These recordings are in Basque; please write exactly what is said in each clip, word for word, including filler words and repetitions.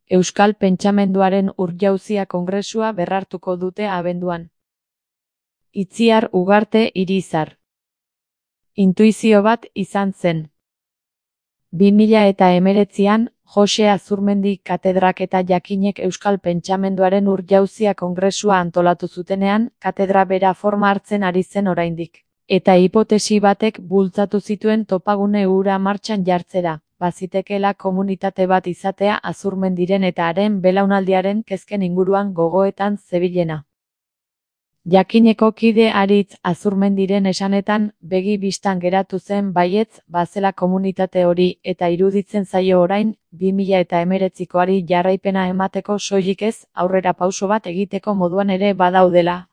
Euskal Pentsamenduaren Urjauzia Kongresua berrartuko dute abenduan. Itziar Ugarte Irizar. Intuizio bat izan zen. bi mila eta hemeretzian, Jose Azurmendi katedrak eta jakinek Euskal Pentsamenduaren Urjauzia Kongresua antolatu zutenean, katedra bera forma hartzen ari zen oraindik. Eta hipotesi batek bultzatu zituen topagune hura martxan jartzera, bazitekeela komunitate bat izatea Azurmendiren eta haren belaunaldiaren kezken inguruan gogoetan zebilena. Jakineko kide Aritz Azurmendiren esanetan, begi bistan geratu zen baietz bazela komunitate hori eta iruditzen zaio orain, bi mila eta hemeretzikoari jarraipena emateko soilik ez, aurrera pauso bat egiteko moduan ere badaudela.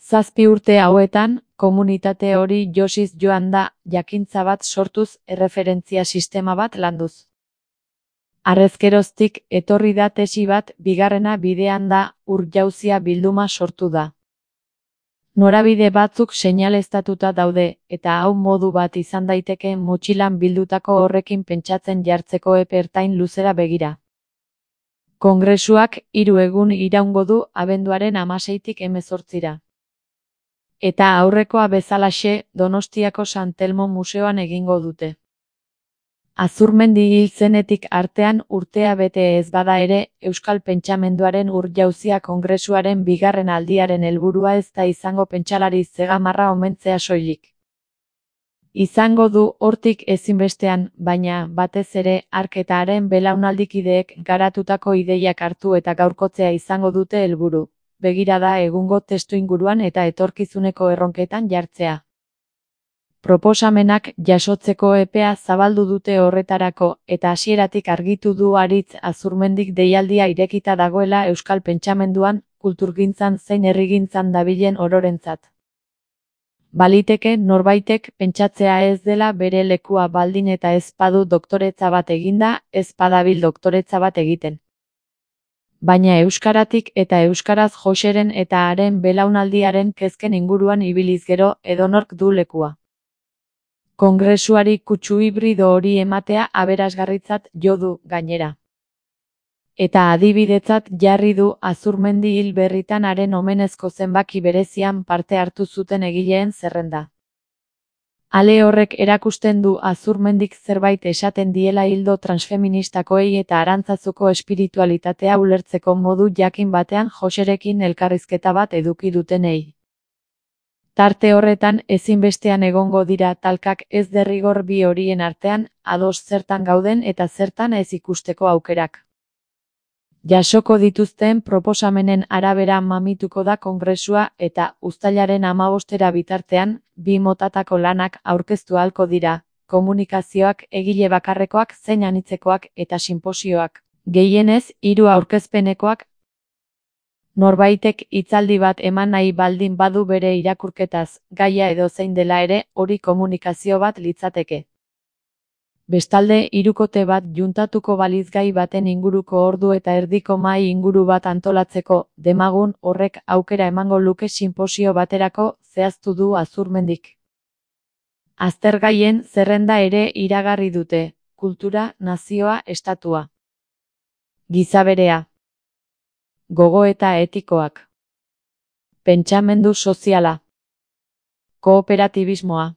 Zazpi urte hauetan, komunitate hori josiz joan da, jakintza bat sortuz, erreferentzia sistema bat landuz. Harrezkeroztik etorri da tesi bat, bigarrena bidean da, Urjauzia bilduma sortu da. Norabide batzuk seinaleztatuta daude, eta hau modu bat izan daiteke motxilan bildutako horrekin pentsatzen jartzeko epe ertain luzera begira. Kongresuak hiru egun iraungo du abenduaren hamaseitik hemezortzira. Eta aurrekoa bezalaxe, Donostiako San Telmo Museoan egingo dute. Azurmendi hil zenetik artean urtea bete ez bada ere, Euskal Pentsamenduaren Urjauzia Kongresuaren bigarren aldiaren helburua ez da izango pentsalari zegamarra omentzea soilik. Izango du hortik ezinbestean, baina, batez ere, hark eta haren belaunaldikideek garatutako ideiak hartu eta gaurkotzea izango dute helburu. Begirada egungo testuinguruan eta etorkizuneko erronketan jartzea. Proposamenak jasotzeko epea zabaldu dute horretarako, eta hasieratik argitu du Aritz Azurmendik deialdia irekita dagoela Euskal Pentsamenduan, kulturgintzan zein herrigintzan dabilen ororentzat. Baliteke norbaitek pentsatzea ez dela bere lekua baldin eta ez badu doktoretza bat eginda, ez badabil doktoretza bat egiten. Baina euskaratik eta euskaraz Joseren eta haren belaunaldiaren kezken inguruan ibiliz gero edonork du lekua. Kongresuari kutsu hibrido hori ematea aberasgarritzat jo du gainera. Eta adibidetzat jarri du Azurmendi hil berritan haren omenezko zenbaki berezian parte hartu zuten egileen zerrenda. Ale horrek erakusten du Azurmendik zerbait esaten diela hildo transfeministakoei eta Arantzazuko espiritualitatea ulertzeko modu jakin batean Joserekin elkarrizketa bat eduki dutenei. Tarte horretan ezinbestean egongo dira talkak ez derrigor bi horien artean, ados zertan gauden eta zertan ez ikusteko aukerak. Jasoko dituzten proposamenen arabera mamituko da kongresua eta uztailaren hamabostera bitartean, bi motatako lanak aurkeztu ahalko dira, komunikazioak, egile bakarrekoak zein anitzekoak eta sinposioak. Gehienez, hiru aurkezpenekoak. Norbaitek hitzaldi bat eman nahi baldin badu bere irakurketaz, gaia edo zein dela ere, hori komunikazio bat litzateke. Bestalde, hirukote bat juntatuko baliz gai baten inguruko ordu eta erdiko mahai inguru bat antolatzeko, demagun horrek aukera emango luke sinposio baterako, zehaztu du Azurmendik. Aztergaien zerrenda ere iragarri dute, kultura, nazioa, estatua. Gizaberea. Gogoeta etikoak. Pentsamendu soziala. Kooperatibismoa.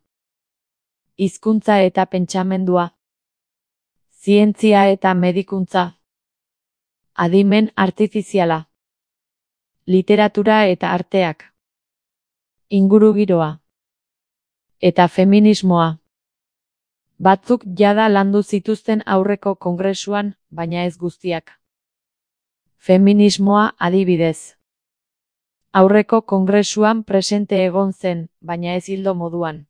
Hizkuntza eta pentsamendua. Zientzia eta medikuntza. Adimen artifiziala. Literatura eta arteak. Ingurugiroa. Eta feminismoa. Batzuk jada landu zituzten aurreko kongresuan, baina ez guztiak. Feminismoa adibidez. Aurreko kongresuan presente egon zen, baina ez hildo moduan.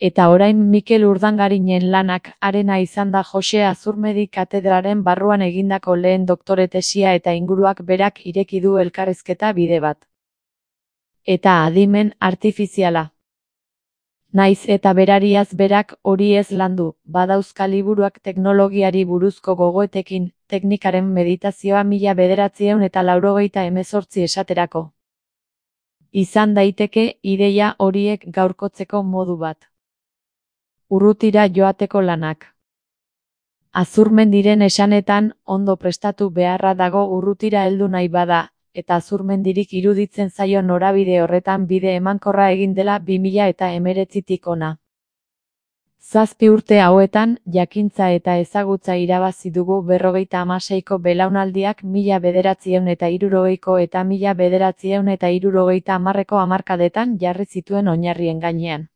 Eta orain Mikel Urdangarinen lanak arena izan da Jose Azurmendi katedraren barruan egindako lehen doktore tesia eta inguruak berak ireki du elkarrizketa bide bat. Eta adimen artifiziala. Naiz eta berariaz berak hori ez landu, badauzka liburuak teknologiari buruzko gogoetekin, teknikaren meditazioa mila bederatziehun eta laurogeita hemezortzi esaterako. Izan daiteke ideia horiek gaurkotzeko modu bat. Urrutira joateko lanak. Azurmendiren esanetan, ondo prestatu beharra dago urrutira heldu nahi bada, eta Azurmendirik iruditzen zaio norabide horretan bide emankorra egin dela bi mila eta hemeretzitik hona. Zazpi urte hauetan, jakintza eta ezagutza irabazi dugu berrogeita hamaseiko belaunaldiak mila bederatziehun eta hirurogeiko eta mila bederatziehun eta hirurogeita hamarreko hamarkadetan jarri zituen oinarrien gainean.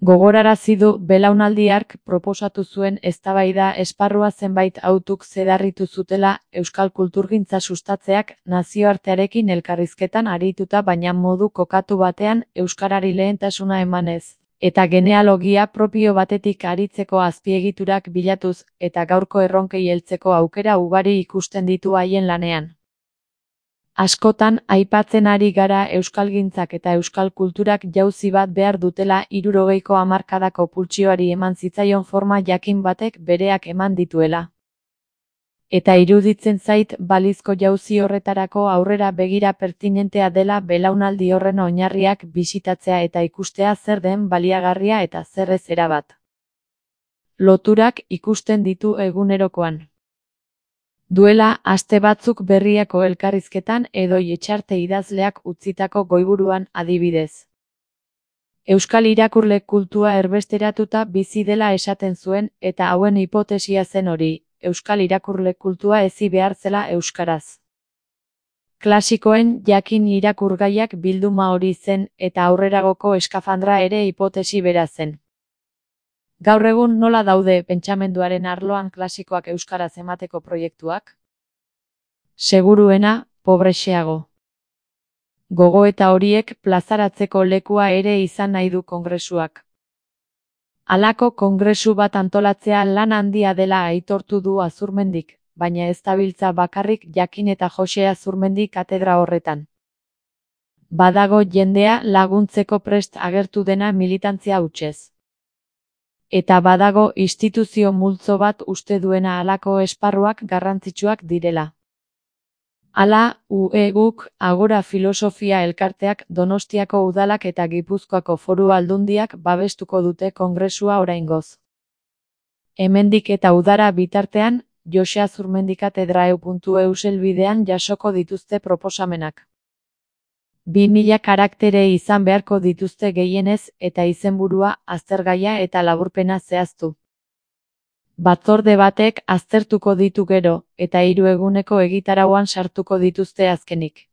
Gogorarazi du belaunaldi hark proposatu zuen eztabaida esparrua zenbait hautuk zedarritu zutela euskal kulturgintza sustatzeak nazioartearekin elkarrizketan arituta baina modu kokatu batean euskarari lehentasuna emanez, eta genealogia propio batetik aritzeko azpiegiturak bilatuz eta gaurko erronkei heltzeko aukera ugari ikusten ditu haien lanean. Askotan aipatzen ari gara euskalgintzak eta euskal kulturak jauzi bat behar dutela hirurogeiko hamarkadako pultsioari eman zitzaion forma jakin batek bereak eman dituela. Eta iruditzen zait balizko jauzi horretarako aurrera begira pertinentea dela belaunaldi horren oinarriak bisitatzea eta ikustea zer den baliagarria eta zer ez erabat. Loturak ikusten ditu egunerokoan. Duela aste batzuk Berriako elkarrizketan Edoi Etxarte idazleak utzitako goiburuan adibidez. Euskal irakurle kultua erbesteratuta bizi dela esaten zuen eta hauen hipotesia zen hori, euskal irakurle kultua hezi behar zela euskaraz. Klasikoen jakin irakurgaiak bilduma hori zen eta aurreragoko eskafandra ere hipotesi bera zen. Gaur egun nola daude pentsamenduaren arloan klasikoak euskaraz emateko proiektuak? Seguruena, pobrexeago. Gogoeta horiek plazaratzeko lekua ere izan nahi du kongresuak. Halako kongresu bat antolatzea lan handia dela aitortu du Azurmendik, baina ez dabiltza bakarrik Jakin eta Jose Azurmendi katedra horretan. Badago jendea laguntzeko prest agertu dena militantzia hutsez. Eta badago instituzio multzo bat uste duena halako esparruak garrantzitsuak direla. Hala, U E guk, Agora Filosofia Elkarteak, Donostiako udalak eta Gipuzkoako Foru Aldundiak babestuko dute kongresua oraingoz. Hemendik eta udara bitartean, Jose Azurmendi katedra puntu e u helbidean jasoko dituzte proposamenak. Bi mila karaktere izan beharko dituzte gehienez eta izenburua, aztergaia eta laburpena zehaztu. Batzorde batek aztertuko ditu gero, eta hiru eguneko egitarauan sartuko dituzte azkenik.